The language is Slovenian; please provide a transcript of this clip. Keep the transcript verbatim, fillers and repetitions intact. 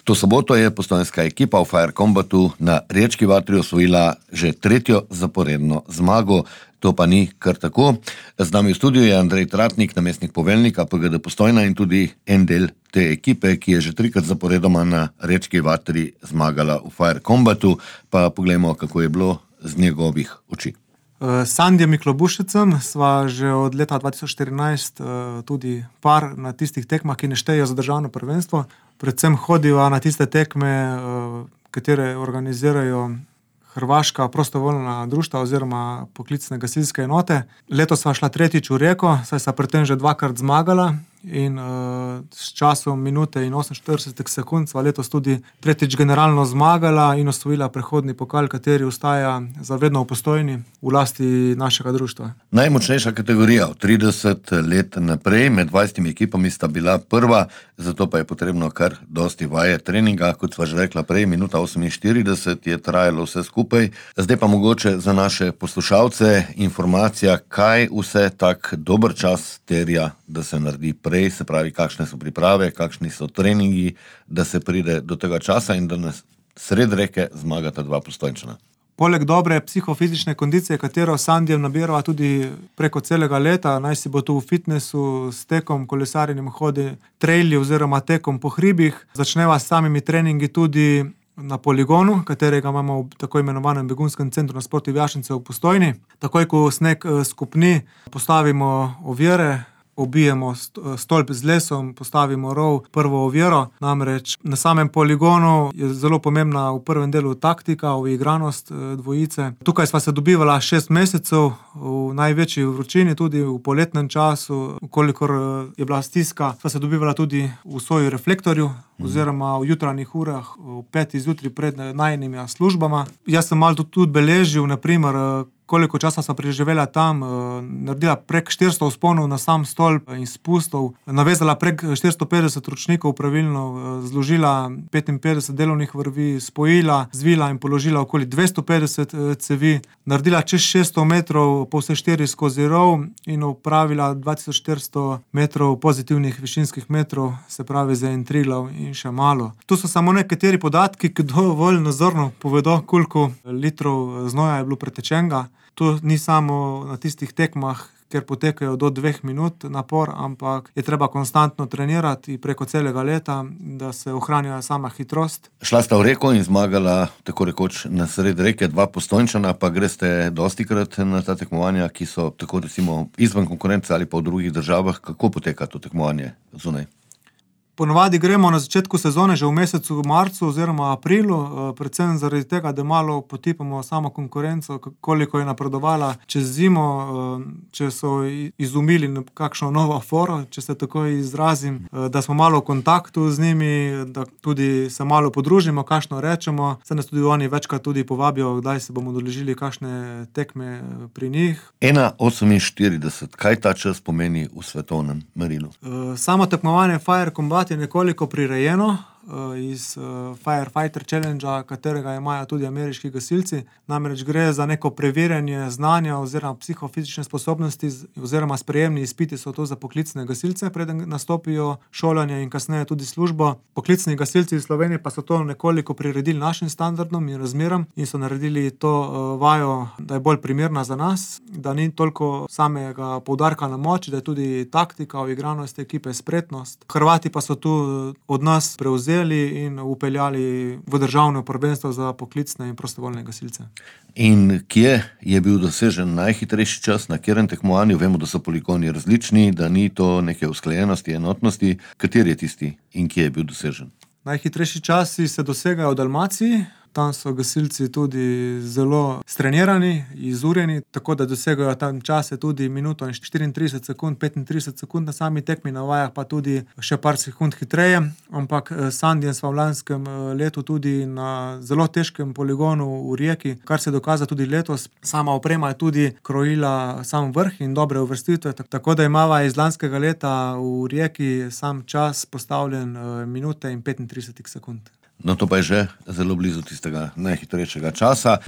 To soboto je postojnska ekipa v Fire Combatu na Riječki vatri osvojila že tretjo zaporedno zmago. To pa ni kar tako. Z nami v studiu je Andrej Tratnik, namestnik poveljnika P G D Postojna in tudi en del te ekipe, ki je že trikrat zaporedoma na Riječki vatri zmagala v Fire Combatu. Pa poglejmo, kako je bilo z njegovih oči. S Sandijem Miklobušicem sva že od leta dva tisoč štirinajst tudi par na tistih tekmah, ki ne štejejo za državno prvenstvo. Predvsem hodiva na tiste tekme, katere organizirajo hrvaška prostovoljna društva oziroma poklicne gasilske enote. Letos sva šla tretjič v Rijeko, saj sva pri tem že dvakrat zmagala in uh, s časom minute in oseminštirideset sekund sva letos tudi tretjič generalno zmagala in osvojila prehodni pokal, kateri ostaja za vedno v Postojni v lasti našega društva. Najmočnejša kategorija od trideset let naprej, med dvajsetimi ekipami sta bila prva, zato pa je potrebno kar dosti vaje treninga, kot sva že rekla prej, minuta oseminštirideset je trajalo vse skupaj. Zdaj pa mogoče za naše poslušalce informacija, kaj vse tak dober čas terja, da se naredi prej, se pravi, kakšne so priprave, kakšni so treningi, da se pride do tega časa in da nas sred reke zmagata dva Postojnčana. Poleg dobre psihofizične kondicije, katero s Sandijem nabirava tudi preko celega leta, naj si bo tu v fitnessu, s tekom, kolesarjenjem, hodi, traili oziroma tekom po hribih, začneva s samimi treningi tudi na poligonu, katerega imamo v tako imenovanem begunskem centru na Sportu Vjašnice v Postojni. Takoj, ko sneg skupni, postavimo ovire, obijemo stolp z lesom, postavimo rov, prvo oviro. Namreč na samem poligonu je zelo pomembna v prvem delu taktika, uigranost dvojice. Tukaj sva se dobivala šest mesecev v največji vročini, tudi v poletnem času, kolikor je bila stiska, sva se dobivala tudi v svoji reflektorju oziroma v jutranjih urah, v peti zjutraj pred najinimi službama. Jaz sem malo tudi beležil, naprimer, koliko časa sva preživela tam, naredila prek štiristo vzponov na sam stolp in spustov, navezala prek štiristo petdeset ročnikov pravilno, zložila petinpetdeset delovnih vrvi, spojila, zvila in položila okoli dvesto petdeset cevi, naredila čez šeststo metrov po vse štiri skozi rov in opravila dva tisoč štiristo metrov pozitivnih višinskih metrov, se pravi za en Triglav in še malo. Tu so samo nekateri podatki, ki dovolj nazorno povedo, koliko litrov znoja je bilo pretečenega. To ni samo na tistih tekmah, ker potekajo do dveh minut napor, ampak je treba konstantno trenirati preko celega leta, da se ohranja sama hitrost. Šla sta v reko in zmagala tako rekoč na sred reke dva Postojnčana, pa greste dostikrat na ta tekmovanja, ki so tako recimo izven konkurence ali pa v drugih državah. Kako poteka to tekmovanje zunaj? Ponovadi gremo na začetku sezone že v mesecu marcu oziroma aprilu, predvsem zaradi tega, da malo potipamo samo konkurenco, koliko je napredovala čez zimo, če so izumili kakšno novo foro, če se tako izrazim, da smo malo v kontaktu z njimi, da tudi se malo podružimo, kakšno rečemo, se nas tudi oni večkrat tudi povabijo, kdaj se bomo udeležili kakšne tekme pri njih. ena oseminštirideset, kaj ta čas pomeni v svetovnem merilu? Samo tekmovanje Fire Combat je nekoliko prirejeno iz Firefighter Challengea, katerega imajo tudi ameriški gasilci. Namreč gre za neko preverjanje znanja oziroma psihofizične sposobnosti oziroma sprejemni izpiti so to za poklicne gasilce, preden nastopijo šolanje in kasneje tudi službo. Poklicni gasilci iz Slovenije pa so to nekoliko priredili našim standardom in razmeram in so naredili to vajo, da je bolj primerna za nas, da ni toliko samega poudarka na moči, da je tudi taktika, uigranost ekipe, spretnost. Hrvati pa so tu od nas prevzeli in upeljali v državno prvenstvo za poklicne in prostovoljne gasilce. In kje je bil dosežen najhitrejši čas, na katerem tekmovanju? Vemo, da so poligoni različni, da ni to neke usklajenosti, enotnosti. Kateri je tisti in kje je bil dosežen? Najhitrejši časi se dosegajo v Dalmaciji. Tam so gasilci tudi zelo strenirani, izurjeni, tako da dosegajo tam čase tudi minuto in štiriintrideset sekund, petintrideset sekund na sami tekmi, na vajah pa tudi še par sekund hitreje. Ampak s Sandijem sva v lanskem letu tudi na zelo težkem poligonu v Rijeki, kar se dokaza tudi letos. Sama oprema je tudi krojila sam vrh in dobre uvrstitve, tako da imava iz lanskega leta v Rijeki sam čas postavljen minute in petintrideset sekund. No, to pa je že zelo blizu tistega najhitrejšega časa.